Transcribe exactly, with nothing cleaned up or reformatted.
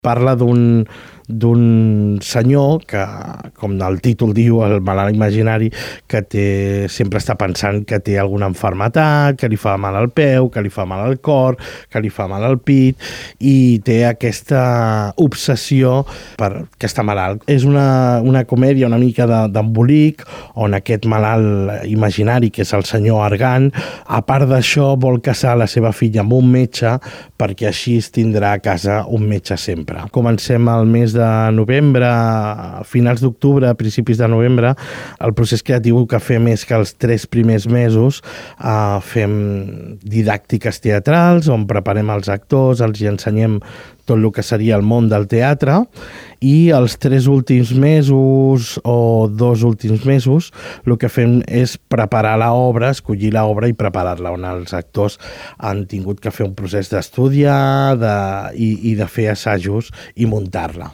Parla d'un d'un senyor que, com el títol diu, el malalt imaginari, que té, sempre està pensant que té alguna malaltia, que li fa mal al peu, que li fa mal al cor, que li fa mal al pit, i té aquesta obsessió per que està malalt. És una, una comèdia una mica d'embolic, on aquest malalt imaginari, que és el senyor Argan, a part d'això vol casar la seva filla amb un metge, perquè així es tindrà a casa un metge sempre. Comencem el mes de de novembre, a finals d'octubre, a principis de novembre. El procés creatiu que fem és que els tres primers mesos eh, fem didàctiques teatrals, on preparem els actors, els hi ensenyem tot el que seria el món del teatre, i els tres últims mesos o dos últims mesos el que fem és preparar l'obra, escollir l'obra i preparar-la, on els actors han tingut que fer un procés d'estudiar de, i, i de fer assajos i muntar-la.